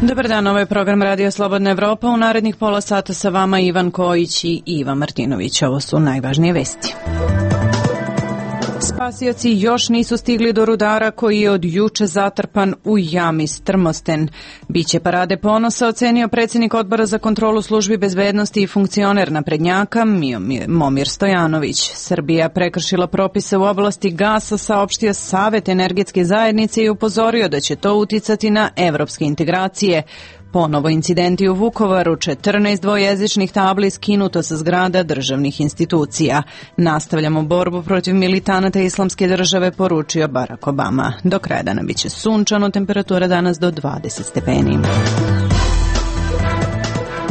Dobar dan, ovo je program Radio Slobodna Evropa. U narednih pola sata sa vama Ivan Kojić i Iva Martinović. Ovo su najvažnije vesti. Spasioci još nisu stigli do rudara koji je od juče zatrpan u jami Strmosten. Biće parade ponosa, ocenio predsjednik Odbora za kontrolu službi bezbednosti i funkcioner naprednjaka Momir Stojanović. Srbija prekršila propise u oblasti gasa, saopštio Savet energetske zajednice i upozorio da će to uticati na evropske integracije. Ponovo incidenti u Vukovaru, 14 dvojezičnih tabli skinuto sa zgrada državnih institucija. Nastavljamo borbu protiv militanata Islamske države, poručio Barack Obama. Do kraja dana biće sunčano, temperatura danas do 20 stepeni.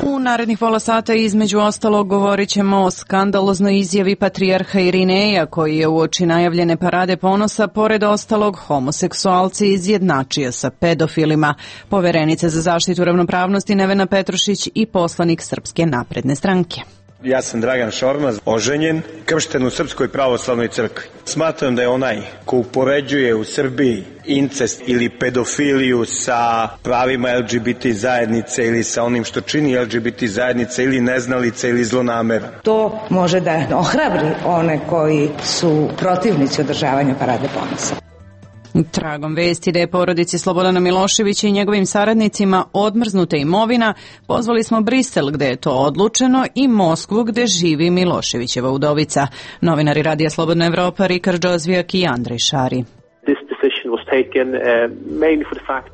U narednih pola sata između ostalog govorit ćemo o skandaloznoj izjavi patrijarha Irineja koji je uoči najavljene parade ponosa pored ostalog homoseksualce izjednačio sa pedofilima. Poverenica za zaštitu ravnopravnosti Nevena Petrušić i poslanik Srpske napredne stranke. Ja sam Dragan Šormaz, oženjen, kršten u Srpskoj pravoslavnoj crkvi. Smatram da je onaj ko upoređuje u Srbiji incest ili pedofiliju sa pravima LGBT zajednice ili sa onim što čini LGBT zajednice ili neznalica ili zlonameran. To može da ohrabri one koji su protivnici održavanja parade ponosa. Tragom vesti da je porodici Slobodana Miloševića i njegovim saradnicima odmrznuta imovina, pozvali smo Brisel gde je to odlučeno i Moskvu gde živi Miloševićeva udovica. Novinari Radija Slobodna Evropa Rikard Džozvijak i Andrej Šari.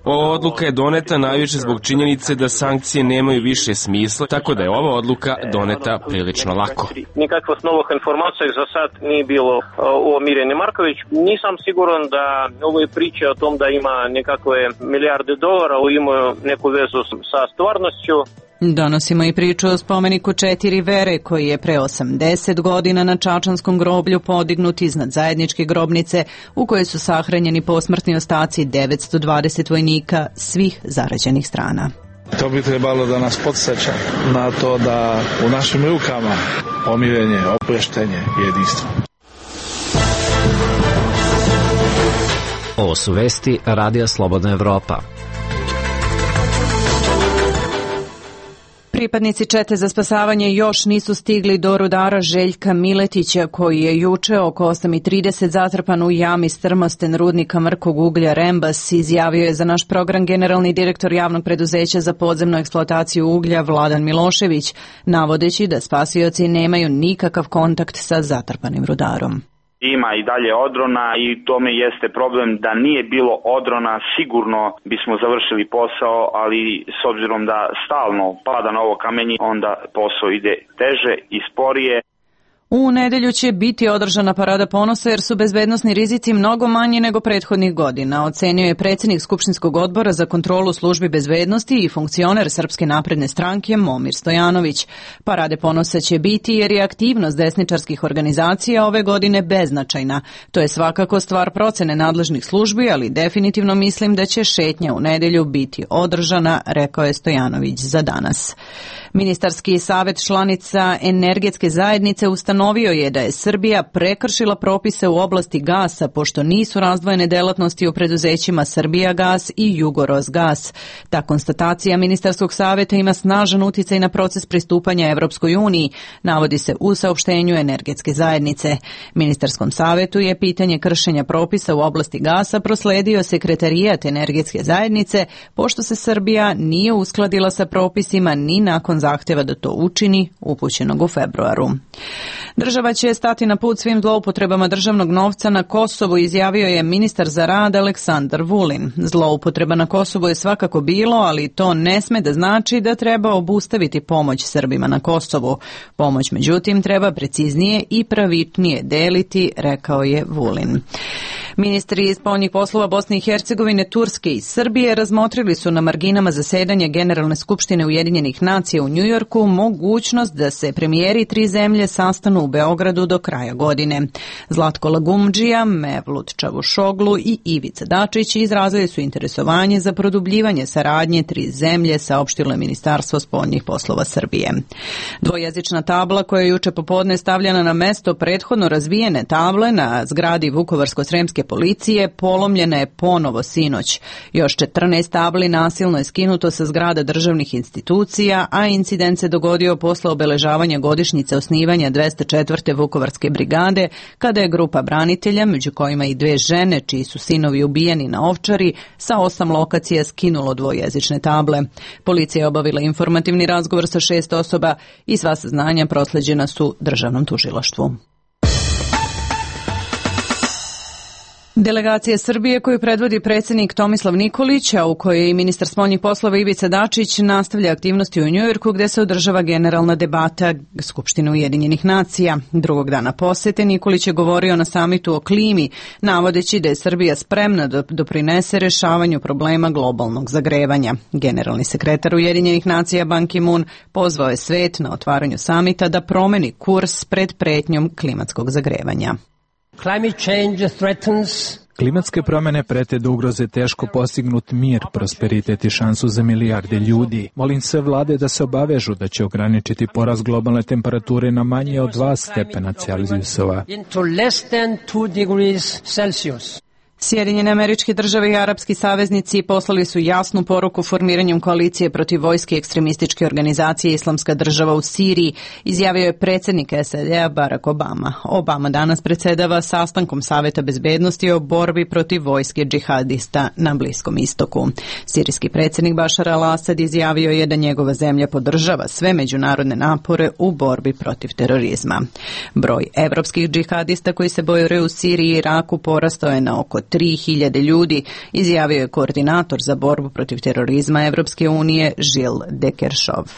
Ova odluka je doneta najviše zbog činjenice da sankcije nemaju više smisla, tako da je ova odluka doneta prilično lako. Nikakvih novih informacija za sad nije bilo o Mirjani Marković. Nisam siguran da ove priče o tom da ima nekakve milijarde dolara imaju neku vezu sa stvarnošću. Donosimo i priču o spomeniku 4 vere koji je pre 80 godina na Čačanskom groblju podignut iznad zajedničke grobnice u kojoj su sahranjeni posmrtni ostaci 920 vojnika svih zarađenih strana. To bi trebalo da nas podsjeća na to da u našim rukama pomirenje, oproštenje i jedinstvo. Ovo su vesti Radija Slobodna Evropa. Pripadnici čete za spasavanje još nisu stigli do rudara Željka Miletića koji je juče oko 8:30 zatrpan u jami Strmosten rudnika mrkog uglja Rembas, izjavio je za naš program generalni direktor javnog preduzeća za podzemnu eksploataciju uglja Vladan Milošević, navodeći da spasioci nemaju nikakav kontakt sa zatrpanim rudarom. Ima i dalje odrona i tome jeste problem. Da nije bilo odrona sigurno bismo završili posao, ali s obzirom da stalno pada na ovo kamenje, onda posao ide teže i sporije. U nedelju će biti održana parada ponosa jer su bezbednosni rizici mnogo manji nego prethodnih godina, ocenio je predsjednik Skupštinskog odbora za kontrolu službi bezbednosti i funkcioner Srpske napredne stranke Momir Stojanović. Parade ponosa će biti jer je aktivnost desničarskih organizacija ove godine beznačajna. To je svakako stvar procene nadležnih službi, ali definitivno mislim da će šetnja u nedelju biti održana, rekao je Stojanović za danas. Ministarski savet članica energetske zajednice ustanovio je da je Srbija prekršila propise u oblasti gasa pošto nisu razdvojene delatnosti u preduzećima Srbijagas i Jugorosgas. Ta konstatacija ministarskog saveta ima snažan uticaj na proces pristupanja Evropskoj uniji, navodi se u saopštenju energetske zajednice. Ministarskom savetu je pitanje kršenja propisa u oblasti gasa prosledio sekretarijat energetske zajednice pošto se Srbija nije uskladila sa propisima ni nakon zahtjeva da to učini, upućenog u februaru. Država će stati na put svim zloupotrebama državnog novca na Kosovu, izjavio je ministar za rad Aleksandar Vulin. Zloupotreba na Kosovu je svakako bilo, ali to ne sme da znači da treba obustaviti pomoć Srbima na Kosovu. Pomoć, međutim, treba preciznije i pravičnije deliti, rekao je Vulin. Ministri spoljnih poslova Bosne i Hercegovine, Turske i Srbije razmotrili su na marginama zasedanja Generalne skupštine Ujedinjenih nacija u Njujorku mogućnost da se premijeri 3 zemlje sastanu u Beogradu do kraja godine. Zlatko Lagumdžija, Mevlut Čavušoglu i Ivica Dačić izrazili su interesovanje za produbljivanje saradnje 3 zemlje, saopštilo je Ministarstvo spoljnih poslova Srbije. Dvojezična tabla koja je juče popodne stavljena na mesto prethodno razvijene table na zgradi Vukovarsko-sremske policije polomljena je ponovo sinoć. Još 14 tabli nasilno je skinuto sa zgrada državnih institucija, a incident se dogodio posle obeležavanja godišnjice osnivanja 204. Vukovarske brigade, kada je grupa branitelja, među kojima i 2 žene čiji su sinovi ubijeni na Ovčari, sa 8 lokacija skinulo dvojezične table. Policija je obavila informativni razgovor sa 6 osoba i sva saznanja prosleđena su državnom tužilaštvu. Delegacija Srbije koju predvodi predsjednik Tomislav Nikolić, a u kojoj je i ministar spoljnih poslova Ivica Dačić, nastavlja aktivnosti u Njujorku gdje se održava generalna debata Skupštine Ujedinjenih nacija. Drugog dana posete Nikolić je govorio na samitu o klimi, navodeći da je Srbija spremna da doprinese rešavanju problema globalnog zagrevanja. Generalni sekretar Ujedinjenih nacija Ban Ki-moon pozvao je svet na otvaranju samita da promeni kurs pred pretnjom klimatskog zagrevanja. Klimatske promjene prete da ugroze teško postignut mir, prosperitet i šansu za milijarde ljudi. Molim sve vlade da se obavežu da će ograničiti porast globalne temperature na manje od 2 stepena Celzijusova. Sjedinjene Američke Države i arapski saveznici poslali su jasnu poruku formiranjem koalicije protiv vojske ekstremističke organizacije Islamska država u Siriji, izjavio je predsjednik SAD-a Barack Obama. Obama danas predsjedava sastankom Saveta bezbednosti o borbi protiv vojske džihadista na Bliskom istoku. Sirijski predsjednik Bašar al-Asad izjavio je da njegova zemlja podržava sve međunarodne napore u borbi protiv terorizma. Broj evropskih džihadista koji se bore u Siriji i Iraku porastao je na oko 3.000 ljudi, izjavio je koordinator za borbu protiv terorizma Evropske unije Žil Dekeršov.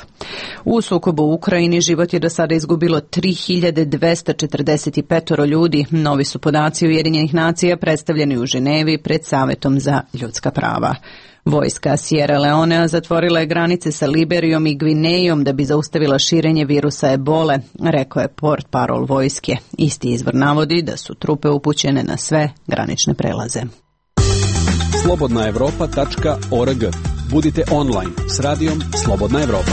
U sukobu u Ukrajini život je do sada izgubilo 3.245 ljudi. Novi su podaci Ujedinjenih nacija predstavljeni u Ženevi pred Savetom za ljudska prava. Vojska Sierra Leonea zatvorila je granice sa Liberijom i Gvinejom da bi zaustavila širenje virusa ebole, rekao je portparol vojske. Isti izvor navodi da su trupe upućene na sve granične prelaze. Slobodnaevropa.org. Budite online s radijom Slobodna Evropa.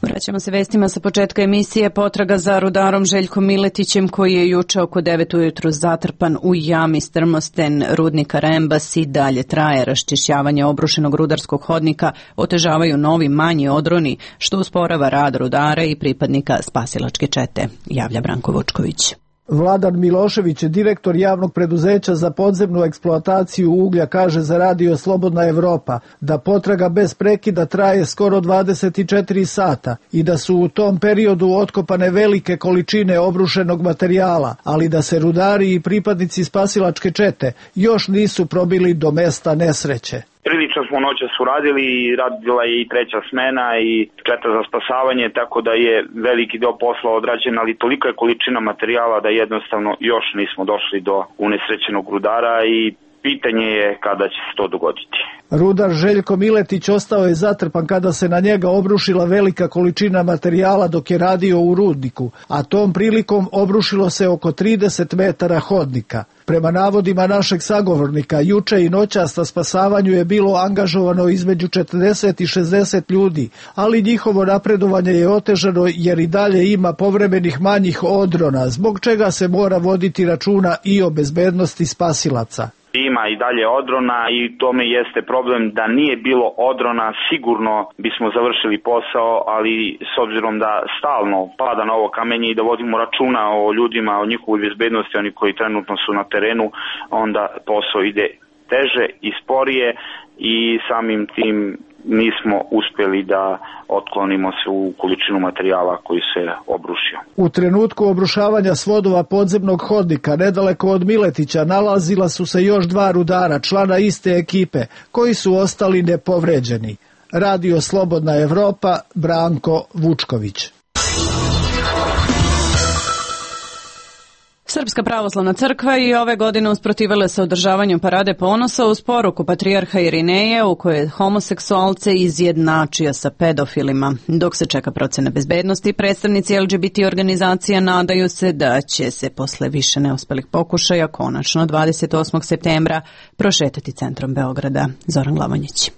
Vraćamo se vestima sa početka emisije. Potraga za rudarom Željkom Miletićem, koji je juče oko 9 ujutru zatrpan u jami Strmosten rudnika Rembas, i dalje traje. Raščišćavanje obrušenog rudarskog hodnika otežavaju novi manji odroni, što usporava rad rudara i pripadnika spasilačke čete, javlja Branko Vučković. Vladan Milošević, direktor javnog preduzeća za podzemnu eksploataciju uglja, kaže za radio Slobodna Evropa da potraga bez prekida traje skoro 24 sata i da su u tom periodu otkopane velike količine obrušenog materijala, ali da se rudari i pripadnici spasilačke čete još nisu probili do mesta nesreće. Prilično smo noćas uradili i radila je i 3. smena i četa za spasavanje, tako da je veliki deo posla odrađen, ali tolika je količina materijala da jednostavno još nismo došli do unesrećenog rudara i pitanje je kada će se to dogoditi. Rudar Željko Miletić ostao je zatrpan kada se na njega obrušila velika količina materijala dok je radio u rudniku, a tom prilikom obrušilo se oko 30 metara hodnika. Prema navodima našeg sagovornika, juče i noćas na spasavanju je bilo angažovano između 40 i 60 ljudi, ali njihovo napredovanje je otežano jer i dalje ima povremenih manjih odrona, zbog čega se mora voditi računa i o bezbednosti spasilaca. Ima i dalje odrona i tome jeste problem da nije bilo odrona, sigurno bismo završili posao, ali s obzirom da stalno pada na ovo kamenje i da vodimo računa o ljudima, o njihovoj bezbednosti, oni koji trenutno su na terenu, onda posao ide teže i sporije i samim tim nismo uspjeli da otklonimo svu količinu materijala koji se obrušio. U trenutku obrušavanja svodova podzemnog hodnika nedaleko od Miletića nalazila su se još 2 rudara, člana iste ekipe, koji su ostali nepovređeni. Radio Slobodna Evropa, Branko Vučković. Srpska pravoslavna crkva i ove godine usprotivila se održavanju parade ponosa uz poruku patrijarha Irineja u kojoj je homoseksualce izjednačio sa pedofilima. Dok se čeka procena bezbednosti, predstavnici LGBT organizacija nadaju se da će se posle više neuspelih pokušaja konačno 28. septembra prošetati centrom Beograda. Zoran Glavonjić.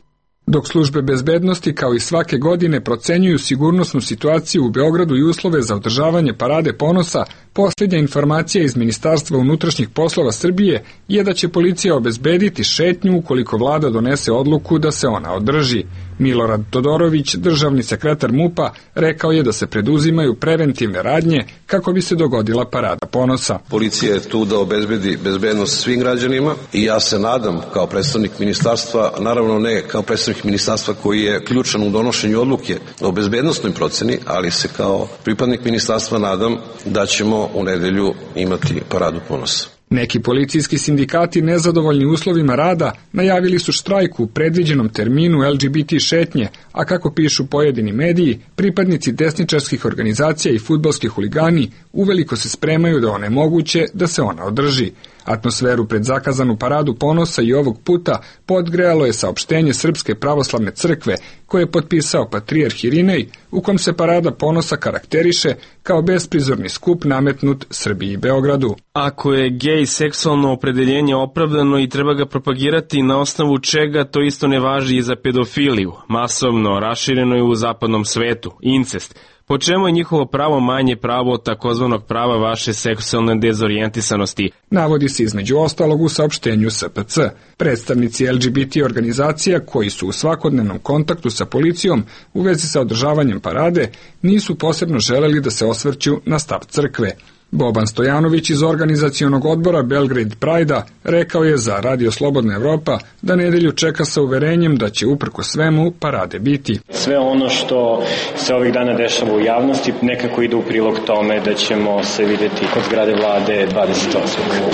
Dok službe bezbednosti kao i svake godine procenjuju sigurnosnu situaciju u Beogradu i uslove za održavanje parade ponosa, posljednja informacija iz Ministarstva unutrašnjih poslova Srbije je da će policija obezbediti šetnju ukoliko vlada donese odluku da se ona održi. Milorad Todorović, državni sekretar MUP-a, rekao je da se preduzimaju preventivne radnje kako bi se dogodila parada ponosa. Policija je tu da obezbedi bezbednost svim građanima i ja se nadam kao predstavnik ministarstva, naravno ne kao predstavnik ministarstva koji je ključan u donošenju odluke o bezbednostnoj proceni, ali se kao pripadnik ministarstva nadam da ćemo u nedelju imati paradu ponosa. Neki policijski sindikati nezadovoljni uslovima rada najavili su štrajk u predviđenom terminu LGBT šetnje, a kako pišu pojedini mediji, pripadnici desničarskih organizacija i fudbalski huligani uveliko se spremaju da onemoguće da se ona održi. Atmosferu pred zakazanu paradu ponosa i ovog puta podgrejalo je saopštenje Srpske pravoslavne crkve koje je potpisao patrijarh Irinej, u kom se parada ponosa karakteriše kao besprizorni skup nametnut Srbiji i Beogradu. Ako je gej seksualno opredeljenje opravdano i treba ga propagirati, na osnovu čega to isto ne važi i za pedofiliju, masovno rašireno je u zapadnom svetu, incest. Po čemu je njihovo pravo manje pravo od takozvanog prava vaše seksualne dezorijentisanosti? Navodi se između ostalog u saopštenju SPC. Predstavnici LGBT organizacija koji su u svakodnevnom kontaktu sa policijom u vezi sa održavanjem parade nisu posebno želeli da se osvrću na stav crkve. Boban Stojanović iz organizacionog odbora Belgrade Pride-a rekao je za Radio Slobodna Evropa da nedelju čeka sa uverenjem da će uprko svemu parade biti. Sve ono što se ovih dana dešava u javnosti nekako ide u prilog tome da ćemo se videti kod zgrade vlade 28.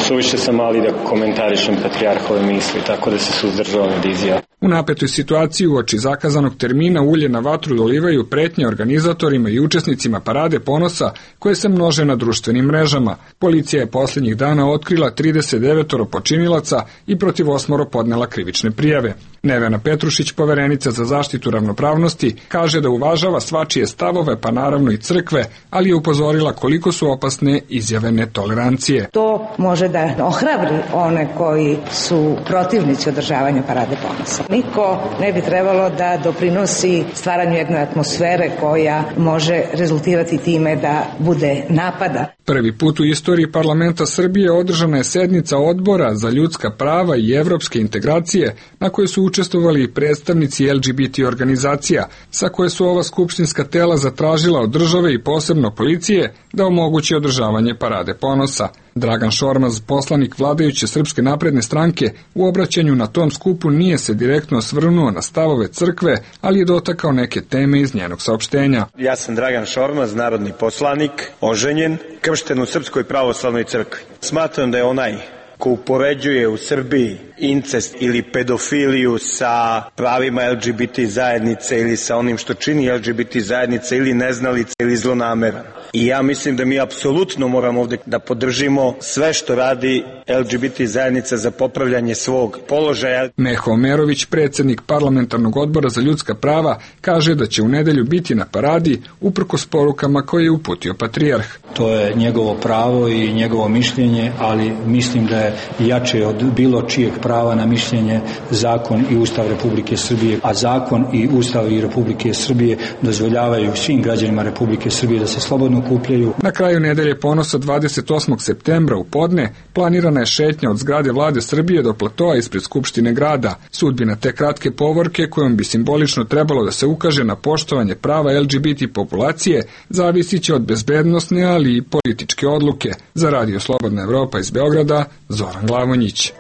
Suviše sam mali da komentarišem patrijarhove misli, tako da se suzdržavam od izjava. U napetoj situaciji uoči zakazanog termina ulje na vatru dolivaju pretnje organizatorima i učesnicima parade ponosa koje se množe na društvenim mrežama. Policija je posljednjih dana otkrila 39 počinilaca i protiv 8 podnela krivične prijave. Nevena Petrušić, poverenica za zaštitu ravnopravnosti, kaže da uvažava svačije stavove, pa naravno i crkve, ali je upozorila koliko su opasne izjave netolerancije. To može da ohrabri one koji su protivnici održavanja parade ponosa. Niko ne bi trebalo da doprinosi stvaranju jedne atmosfere koja može rezultirati time da bude napada. Prvi put u istoriji parlamenta Srbije održana je sednica Odbora za ljudska prava i evropske integracije na kojoj su učestvovali i predstavnici LGBT organizacija, sa koje su ova skupštinska tela zatražila od države i posebno policije da omogući održavanje parade ponosa. Dragan Šormaz, poslanik vladajuće Srpske napredne stranke, u obraćanju na tom skupu nije se direktno osvrnuo na stavove crkve, ali je dotakao neke teme iz njenog saopštenja. Ja sam Dragan Šormaz, narodni poslanik, oženjen, kršten u Srpskoj pravoslavnoj crkvi. Smatram da je onaj ko upoređuje u Srbiji incest ili pedofiliju sa pravima LGBT zajednice ili sa onim što čini LGBT zajednice ili neznalica ili zlonameran. I ja mislim da mi apsolutno moramo ovdje da podržimo sve što radi LGBT zajednica za popravljanje svog položaja. Meho Omerović, predsjednik parlamentarnog odbora za ljudska prava, kaže da će u nedelju biti na paradi uprkos porukama koje je uputio patrijarh. To je njegovo pravo i njegovo mišljenje, ali mislim da je jače od bilo čijeg prava na mišljenje zakon i Ustav Republike Srbije, a zakon i Ustav i Republike Srbije dozvoljavaju svim građanima Republike Srbije da se slobodno okupljaju. Na kraju nedelje ponosa 28. septembra u podne planirana je šetnja od zgrade vlade Srbije do platoa ispred Skupštine grada. Sudbina te kratke povorke kojom bi simbolično trebalo da se ukaže na poštovanje prava LGBT populacije zavisit će od bezbednosne, ali i političke odluke. Za Radio Slobodna Evropa iz Beograda, Zoran Glavonjić.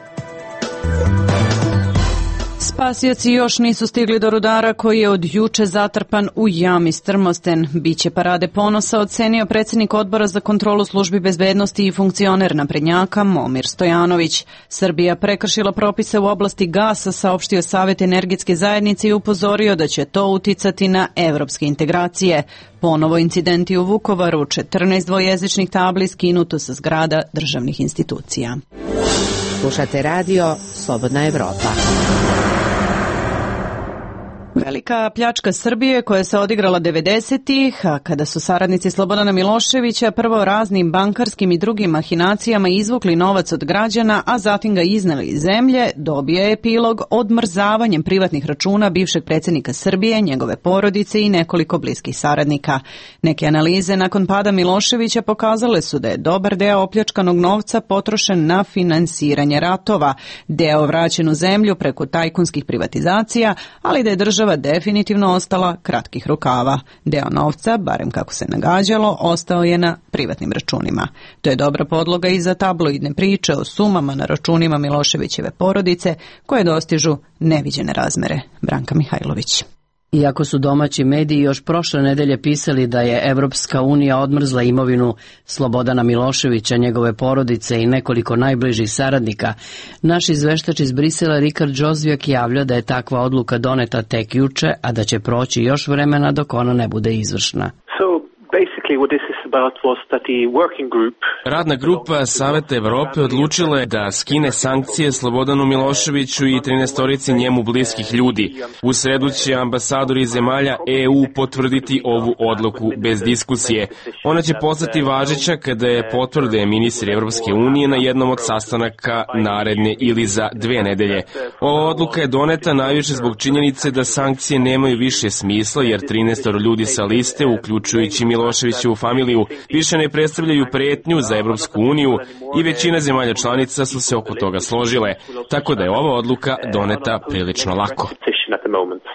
Spasioci još nisu stigli do rudara koji je od juče zatrpan u jami Strmosten. Biće parade ponosa ocenio predsjednik Odbora za kontrolu službi bezbednosti i funkcioner naprednjaka Momir Stojanović. Srbija prekršila propise u oblasti gasa, saopštio Savet energetske zajednice i upozorio da će to uticati na evropske integracije. Ponovo incidenti u Vukovaru, 14 dvojezičnih tabli skinuto sa zgrada državnih institucija. Slušate radio Slobodna Evropa. Velika pljačka Srbije koja se odigrala 90-ih, a kada su saradnici Slobodana Miloševića prvo raznim bankarskim i drugim mahinacijama izvukli novac od građana, a zatim ga izneli iz zemlje, dobije epilog odmrzavanjem privatnih računa bivšeg predsjednika Srbije, njegove porodice i nekoliko bliskih saradnika. Neke analize nakon pada Miloševića pokazale su da je dobar deo opljačkanog novca potrošen na finansiranje ratova, deo vraćen u zemlju preko tajkunskih privatizacija, ali da je država definitivno ostala kratkih rukava. Deo novca, barem kako se nagađalo, ostao je na privatnim računima. To je dobra podloga i za tabloidne priče o sumama na računima Miloševićeve porodice koje dostižu neviđene razmere. Branka Mihajlović. Iako su domaći mediji još prošle nedelje pisali da je Evropska unija odmrzla imovinu Slobodana Miloševića, njegove porodice i nekoliko najbližih saradnika, naš izveštač iz Brisela Rikard Džozvijak javlja da je takva odluka doneta tek juče, a da će proći još vremena dok ona ne bude izvršna. Radna grupa Saveta Evrope odlučila je da skine sankcije Slobodanu Miloševiću i 13 njemu bliskih ljudi. U sredu će ambasadori zemalja EU potvrditi ovu odluku bez diskusije. Ona će postati važeća kada je potvrde ministri Evropske unije na jednom od sastanaka naredne ili za 2 nedelje. Ova odluka je doneta najviše zbog činjenice da sankcije nemaju više smisla jer 13 ljudi sa liste, uključujući Miloševićevu familiju, više ne predstavljaju pretnju za Evropsku uniju i većina zemalja članica su se oko toga složile, tako da je ova odluka doneta prilično lako.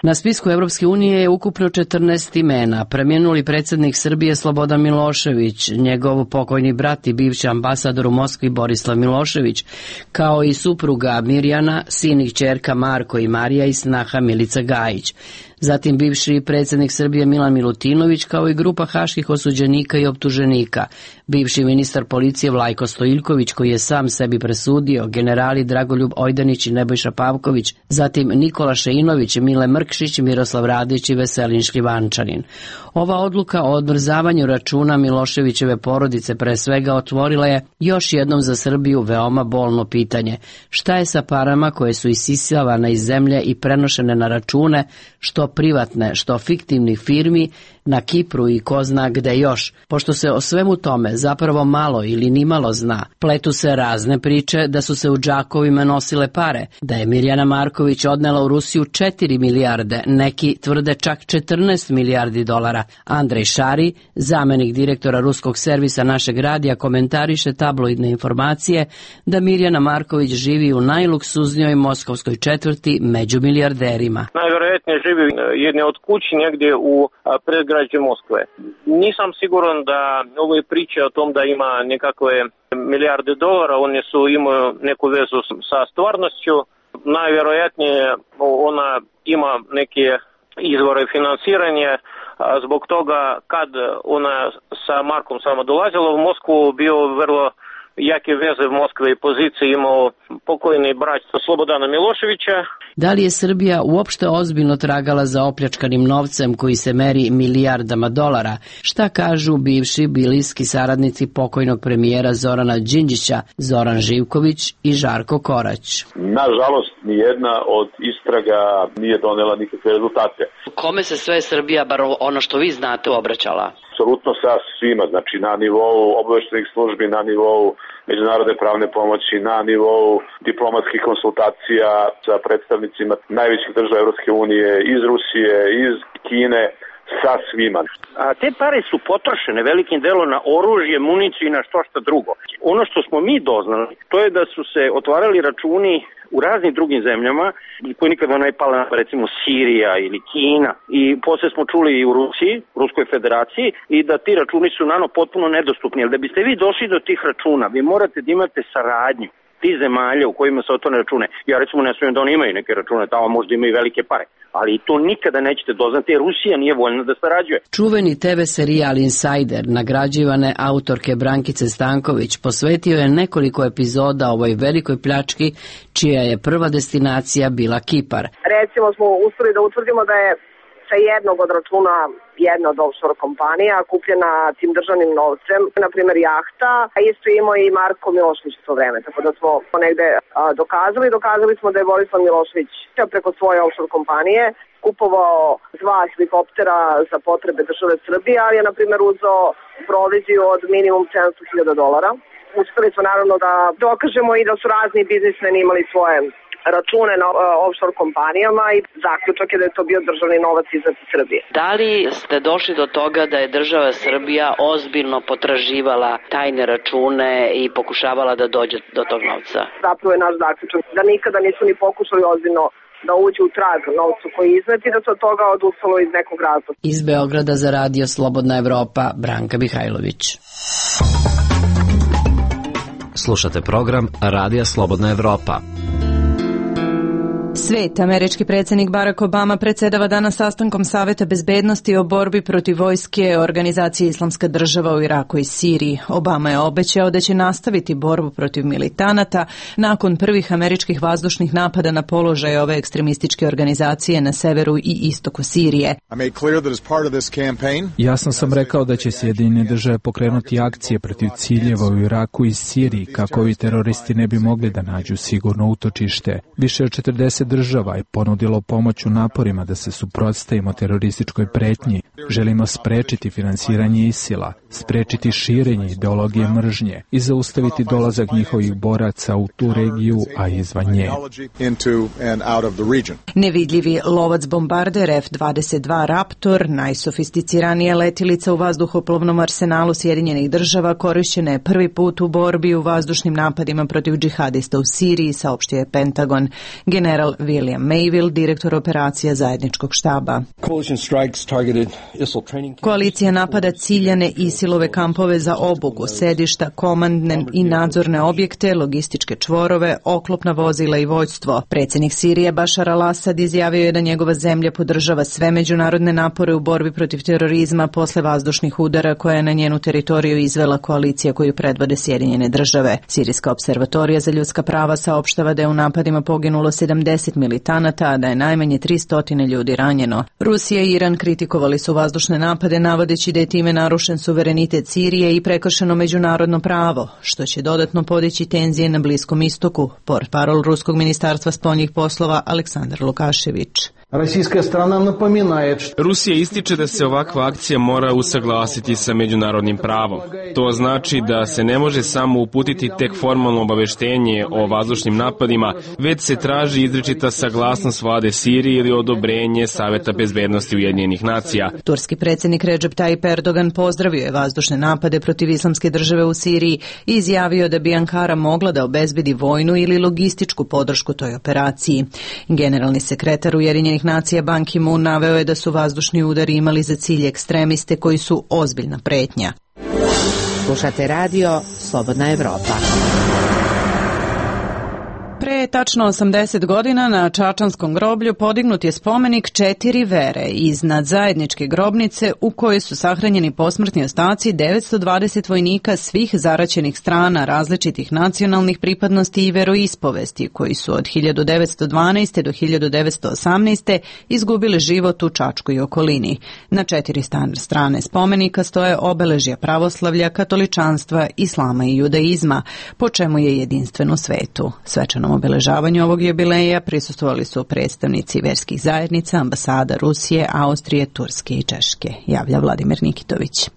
Na spisku Evropske unije je ukupno 14 imena. Preminuli predsjednik Srbije Slobodan Milošević, njegov pokojni brat i bivši ambasador u Moskvi Borislav Milošević, kao i supruga Mirjana, sin i kćerka Marko i Marija i snaha Milica Gajić. Zatim bivši predsjednik Srbije Milan Milutinović, kao i grupa haških osuđenika i optuženika, bivši ministar policije Vlajko Stojiljković koji je sam sebi presudio, generali Dragoljub Ojdanić i Nebojša Pavković, zatim Nikola Šeinović, Mile Mrkšić, Miroslav Radić i Veselin Šljivančanin. Ova odluka o odmrzavanju računa Miloševićeve porodice pre svega otvorila je još jednom za Srbiju veoma bolno pitanje. Šta je sa parama koje su isisavane iz zemlje i prenošene na račune, što privatne, što fiktivnih firmi na Kipru i ko zna gde još? Pošto se o svemu tome zapravo malo ili nimalo zna, pletu se razne priče da su se u džakovima nosile pare, da je Mirjana Marković odnela u Rusiju 4 milijarde, neki tvrde čak 14 milijardi dolara. Andrej Šari, zamenik direktora ruskog servisa našeg radija, komentariše tabloidne informacije da Mirjana Marković živi u najluksuznijoj moskovskoj četvrti među milijarderima. Najvjerojatnije živi jedne od kući negdje u predgrađe Moskve. Nisam siguran da ove priče o tom da ima nekakve milijarde dolara, one imaju neku vezu sa stvarnošću. Najvjerojatnije ona ima neke izvore financiranja, zbog toga kad ona sa Markom samo dolazila u Moskvu, bio vrlo jake veze v Moskve i pozicije imao pokojni brat Slobodana Miloševića. Da li je Srbija uopšte ozbiljno tragala za opljačkanim novcem koji se meri milijardama dolara? Šta kažu bivši bliski saradnici pokojnog premijera Zorana Đinđića, Zoran Živković i Žarko Korać? Nažalost, nijedna od istraga nije donela nikakve rezultate. Kome se sve Srbija, bar ono što vi znate, obraćala? Apsolutno sa svima, znači na nivou obaveštajnih službi, na nivou međunarodne pravne pomoći, na nivou diplomatskih konsultacija sa predstavnicima najvećih država Evropske unije, iz Rusije, iz Kine, sa svima. A te pare su potrošene velikim delom na oružje, municiju i na što drugo. Ono što smo mi doznali, to je da su se otvarali računi u raznim drugim zemljama, koji nikada ne pala, recimo Sirija ili Kina, i poslije smo čuli i u Rusiji, Ruskoj federaciji, i da ti računi su potpuno nedostupni. Jer da biste vi došli do tih računa, vi morate da imate saradnju ti zemalja u kojima se otvorene račune. Ja recimo ne smijem da oni imaju neke račune, tamo možda imaju velike pare, ali to nikada nećete doznati jer Rusija nije voljna da sarađuje. Čuveni TV serijal Insider nagrađivane autorke Brankice Stanković posvetio je nekoliko epizoda ovoj velikoj pljački čija je prva destinacija bila Kipar. Recimo smo uspeli da utvrdimo da je sa jednog od računa jedna od offshore kompanija kupljena tim državnim novcem, na primjer jahta, a isto imao i Marko Milošević u to vreme, tako da smo negde dokazali smo da je Borislav Milošević preko svoje offshore kompanije kupovao 2 helikoptera za potrebe države Srbije, ali je na primjer uzeo proviziju od minimum $700,000. Uspeli smo naravno da dokažemo i da su razni biznismeni imali svoje račune na offshore kompanijama i zaključak je da je to bio državni novac iz Srbije. Da li ste došli do toga da je država Srbija ozbiljno potraživala tajne račune i pokušavala da dođe do tog novca? Zapravo je naš zaključak da nikada nisu ni pokušali ozbiljno da uđu u trag novcu koji je iznet i da se od toga odustalo iz nekog razloga. Iz Beograda za radio Slobodna Evropa, Branka Mihajlović. Slušate program Radija Slobodna Evropa. Svet, američki predsjednik Barack Obama predsjedava danas sastankom Saveta bezbednosti o borbi protiv vojske organizacije Islamska država u Iraku i Siriji. Obama je obećao da će nastaviti borbu protiv militanata nakon prvih američkih vazdušnih napada na položaje ove ekstremističke organizacije na severu i istoku Sirije. Jasno sam rekao da će Sjedinjene države pokrenuti akcije protiv ciljeva u Iraku i Siriji kako ovi teroristi ne bi mogli da nađu sigurno utočište. Više od 40 država je ponudilo pomoć u naporima da se suprotstavimo terorističkoj pretnji. Želimo sprečiti finansiranje ISIL-a, sprečiti širenje ideologije mržnje i zaustaviti dolazak njihovih boraca u tu regiju, a izvan nje. Nevidljivi lovac bombarder F-22 Raptor, najsofisticiranija letilica u vazduhoplovnom arsenalu Sjedinjenih država, korišćena je prvi put u borbi u vazdušnim napadima protiv džihadista u Siriji, saopštio je Pentagon. General William Mayville, direktor operacija zajedničkog štaba. Koalicija napada ciljane ISIL-ove kampove za obuku, sedišta, komandne i nadzorne objekte, logističke čvorove, oklopna vozila i vojstvo. Predsjednik Sirije Bashar al-Assad izjavio je da njegova zemlja podržava sve međunarodne napore u borbi protiv terorizma posle vazdušnih udara koja je na njenu teritoriju izvela koalicija koju predvode Sjedinjene države. Sirijska observatorija za ljudska prava saopštava da je u napadima poginulo 70 militanata, a da je najmanje 300 ljudi ranjeno. Rusija i Iran kritikovali su vazdušne napade navodeći da je time narušen suverenitet Sirije i prekršeno međunarodno pravo, što će dodatno podići tenzije na Bliskom istoku, portparol Ruskog ministarstva spoljnih poslova Aleksandar Lukašević. Rusija ističe da se ovakva akcija mora usaglasiti sa međunarodnim pravom. To znači da se ne može samo uputiti tek formalno obaveštenje o vazdušnim napadima, već se traži izričita saglasnost vlade Sirije ili odobrenje Saveta bezbednosti Ujedinjenih nacija. Turski predsjednik Recep Tayyip Erdogan pozdravio je vazdušne napade protiv Islamske države u Siriji i izjavio da bi Ankara mogla da obezbedi vojnu ili logističku podršku toj operaciji. Generalni sekretar Ujedinjenih nacija Ban Ki-moon naveo je da su vazdušni udari imali za cilj ekstremiste koji su ozbiljna pretnja. Slušate radio Slobodna Evropa. Pre tačno 80 godina na Čačanskom groblju podignut je spomenik 4 vere iznad zajedničke grobnice u kojoj su sahranjeni posmrtni ostaci 920 vojnika svih zaraćenih strana različitih nacionalnih pripadnosti i veroispovesti koji su od 1912. do 1918. izgubili život u Čačku i okolini. Na 4 strane spomenika stoje obeležja pravoslavlja, katoličanstva, islama i judaizma, po čemu je jedinstven u svetu. Svečanom obeležavanju ovog jubileja prisustvovali su predstavnici verskih zajednica, ambasada Rusije, Austrije, Turske i Češke, javlja Vladimir Nikitović.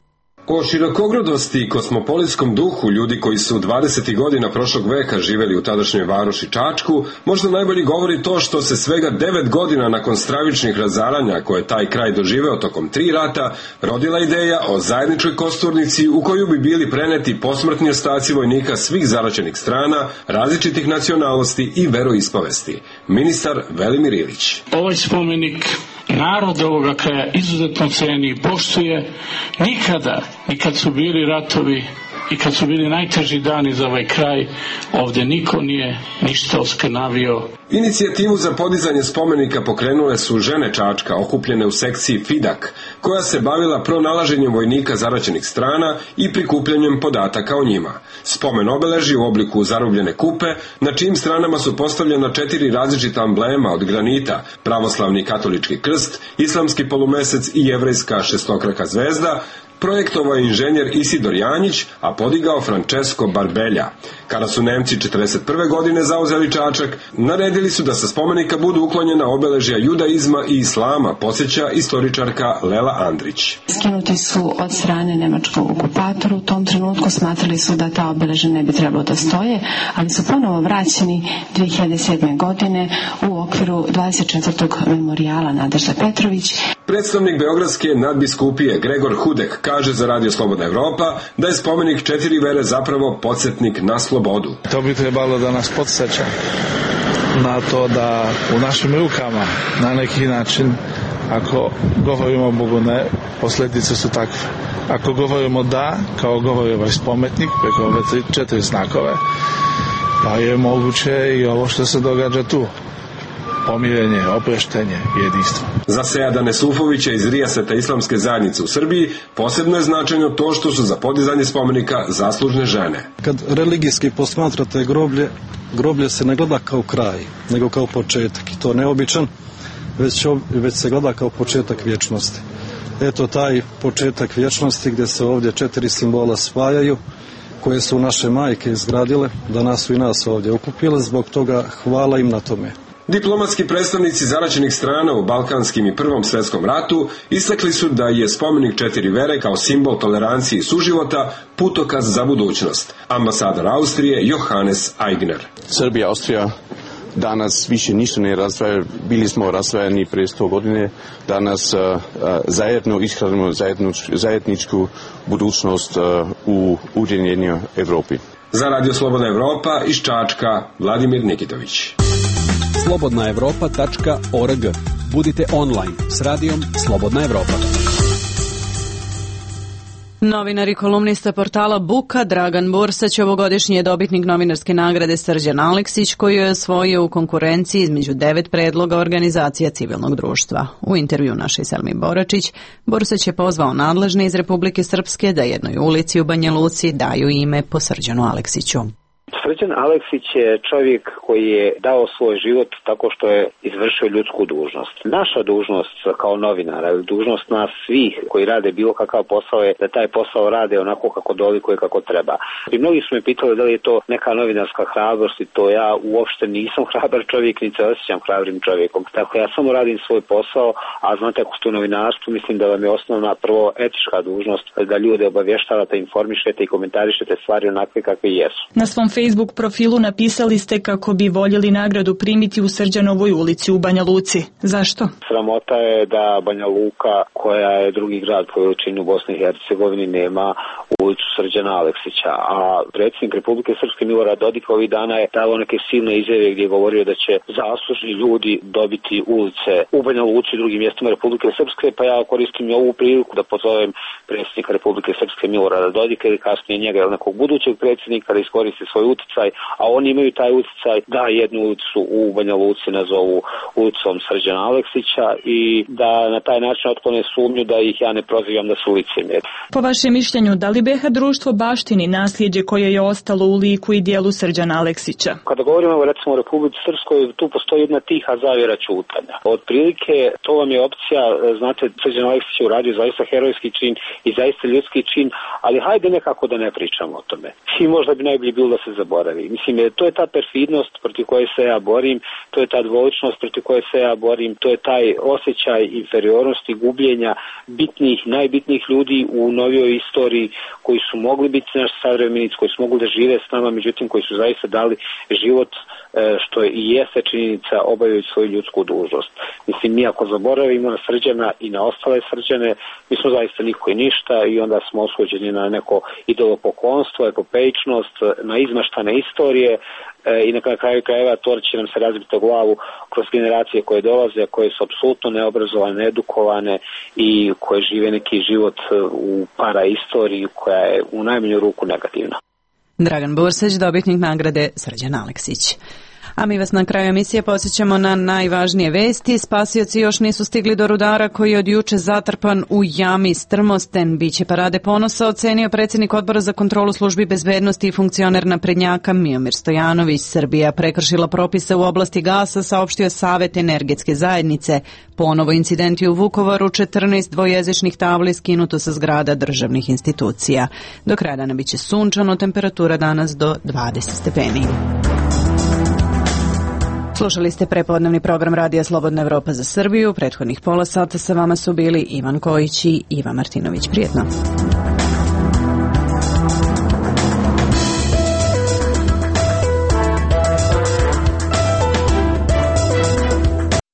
O širokogrudosti i kosmopolitskom duhu ljudi koji su 20. godina prošlog veka živeli u tadašnjoj varoši Čačku, možda najbolje govori to što se svega 9 godina nakon stravičnih razaranja koje taj kraj doživeo tokom 3 rata, rodila ideja o zajedničkoj kosturnici u koju bi bili preneti posmrtni ostaci vojnika svih zaraćenih strana, različitih nacionalnosti i veroispovesti. Ministar Velimir Ilić. Ovaj spomenik narod ovoga kraja izuzetno ceni i poštuje. Nikada, ni kad su bili ratovi i kad su bili najteži dani za ovaj kraj, ovde niko nije ništa oskrnavio. Inicijativu za podizanje spomenika pokrenule su žene Čačka, okupljene u sekciji FIDAK, koja se bavila pronalaženjem vojnika zaraćenih strana i prikupljanjem podataka o njima. Spomen obeleži u obliku zarobljene kupe, na čijim stranama su postavljena 4 različita amblema od granita, pravoslavni katolički krst, islamski polumesec i jevrejska šestokraka zvezda, projektovao je inženjer Isidor Janjić, a podigao Francesco Barbelja. Kada su Nemci 1941. godine zauzeli Čačak, naredili su da sa spomenika budu uklonjena obeležja judaizma i islama, podsjeća istoričarka Lela Andrić. Skinuti su od strane nemačkog okupatora, u tom trenutku smatrali su da ta obeležja ne bi trebalo da stoje, ali su ponovo vraćeni 2007. godine u okviru 24. memorijala Nadežda Petrović. Predstavnik Beogradske nadbiskupije Gregor Hudek kaže za Radio Slobodna Evropa da je spomenik 4 vere zapravo podsjetnik na slobodu. To bi trebalo da nas podsjeća na to da u našim rukama na neki način, ako govorimo Bogu ne, posljedice su takve. Ako govorimo da, kao govori ovaj spomenik preko ove 4 znakove, pa je moguće i ovo što se događa tu. Pomirenje, oproštenje, jedinstvo. Za Sejadane Sufovića iz Rijaseta Islamske zajednice u Srbiji posebno je značajno to što su za podizanje spomenika zaslužne žene. Kad religijski posmatrate groblje se ne gleda kao kraj, nego kao početak. I to neobičan, već se gleda kao početak vječnosti. Eto taj početak vječnosti gdje se ovdje 4 simbola spajaju, koje su naše majke izgradile, danas su i nas ovdje okupile, zbog toga hvala im na tome. Diplomatski predstavnici zaraćenih strana u Balkanskim i Prvom svjetskom ratu istakli su da je spomenik 4 vere kao simbol tolerancije i suživota putokaz za budućnost. Ambasador Austrije Johannes Aigner. Srbija, Austrija danas više ništa ne razdvaja, bili smo razdvajani prije 100 godine, danas zajedno ishranimo zajedničku budućnost u ujedinjenoj Evropi. Za Radio Slobodna Evropa iz Čačka, Vladimir Nikitović. slobodnaevropa.org. Budite online s radijom Slobodna Evropa. Novinar i kolumnista portala Buka Dragan Bursać ovogodišnji je dobitnik novinarske nagrade Srđan Aleksić, koju je osvojio u konkurenciji između 9 predloga organizacija civilnog društva. U intervju našoj Selmi Boračić, Bursać je pozvao nadležne iz Republike Srpske da jednoj ulici u Banja Luci daju ime po Srđanu Aleksiću. Srđan Aleksić je čovjek koji je dao svoj život tako što je izvršio ljudsku dužnost. Naša dužnost kao novinara, dužnost nas svih koji rade bilo kakav posao je da taj posao rade onako kako dolikuje, kako treba. I mnogi su me pitali da li je to neka novinarska hrabrost i to ja uopšte nisam hrabar čovjek, niti se osjećam hrabrim čovjekom. Tako ja samo radim svoj posao, a znate ako ste u novinarstvu, mislim da vam je osnovna prvo etička dužnost da ljude obavještavate, informišete i komentarišete stvari onakve kakve jesu. Na svom Facebook profilu napisali ste kako bi voljeli nagradu primiti u Srđanovoj ulici u Banja Luci. Zašto? Sramota je da Banja Luka, koja je drugi grad po veličini u Bosni i Hercegovini, nema ulicu Srđana Aleksića. A predsjednik Republike Srpske Milorad Dodik ovih dana je dao neke silne izjave gdje je govorio da će zaslužni ljudi dobiti ulice u Banja Luci i drugim mjestima Republike Srpske, pa ja koristim ovu priliku da pozovem predsjednika Republike Srpske Milorada Dodika ili kasnije njega ili nekog budućeg predsjednika da iskoristi svoj uticaj, a oni imaju taj uticaj da jednu ulicu u Banja Luci nazovu ulicom Srđana Aleksića i da na taj način otklone sumnju da ih ja ne prozivam da su licemjeri. Po vašem mišljenju, da li BiH društvo baštini nasljeđe koje je ostalo u liku i dijelu Srđana Aleksića? Kada govorimo recimo o Republici Srpskoj, tu postoji jedna tiha zavjera ćutanja. Otprilike to vam je opcija, znate, Srđan Aleksić je uradio zaista herojski čin i zaista ljudski čin, ali hajde nekako da ne pričamo o tome. I možda bi najbolje bilo da se zaboravi. Mislim, to je ta perfidnost protiv koje se ja borim, to je ta dvoličnost protiv koje se ja borim, to je taj osjećaj inferiornosti, gubljenja bitnih, najbitnijih ljudi u novijoj istoriji koji su mogli biti naši savremenici, koji su mogli da žive s nama, međutim koji su zaista dali život, što i jeste činjenica, obavljaju svoju ljudsku dužnost. Mislim, mi ako zaboravimo na Srđana i na ostale Srđane, mi smo zaista niko i ništa i onda smo osuđeni na neko idolopoklonstvo, epopejčnost, na izmašaj nemaštane istorije i na kraju krajeva to će nam se razbiti o glavu kroz generacije koje dolaze, koje su apsolutno neobrazovane, needukovane i koje žive neki život u paraistoriji koja je u najmanju ruku negativna. Dragan Burseć, dobitnik nagrade Srđan Aleksić. A mi vas na kraju emisije podsjećamo na najvažnije vesti. Spasioci još nisu stigli do rudara koji je od juče zatrpan u jami Strmosten. Biće parade ponosa, ocenio predsjednik Odbora za kontrolu službi bezbednosti i funkcioner naprednjaka Miomir Stojanović. Srbija prekršila propise u oblasti gasa, saopštio Savet energetske zajednice. Ponovo incidenti u Vukovaru, 14 dvojezičnih tabli skinuto sa zgrada državnih institucija. Do kraja dana biće sunčano, temperatura danas do 20 stepeni. Slušali ste prepodnevni program Radija Slobodna Evropa za Srbiju. Prethodnih pola sata sa vama su bili Ivan Kojić i Iva Martinović. Prijetno.